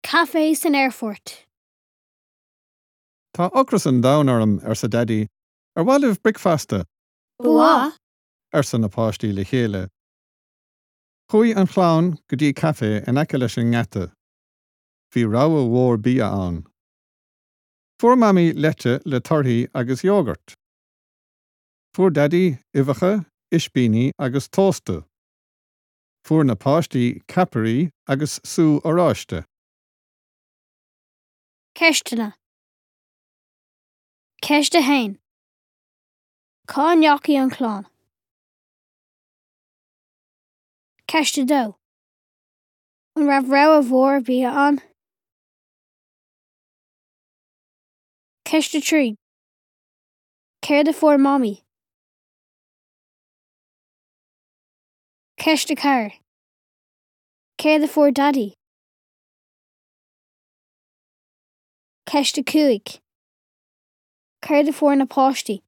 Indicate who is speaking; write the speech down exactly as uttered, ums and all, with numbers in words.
Speaker 1: Caife san aerfort.
Speaker 2: Tá ocras an domhain orm arsa Daidí, ar mhaith libh bricfeasta
Speaker 1: Ba
Speaker 2: arsa na páistí le chéile. Chuaigh an chlann go dtí caife in aice leis an ngeata. Bhí rogha mhór bia ann. Fuair Mamaí leite le torthaí agus iógart. Fuair Daidí uibheacha, ispíní agus tósta. Fuair na páistí ceapairí agus sú oráiste.
Speaker 1: Ceisteanna. Ceist a haon. Cá ndeachaigh an chlann. Ceist a dó. An raibh rogha mhór bia ann? Ceist a trí. Céard a fuair Mamaí? Ceist a ceathair. Céard a fuair Daidí? Ceist a cúig. Céard a fuair na páistí?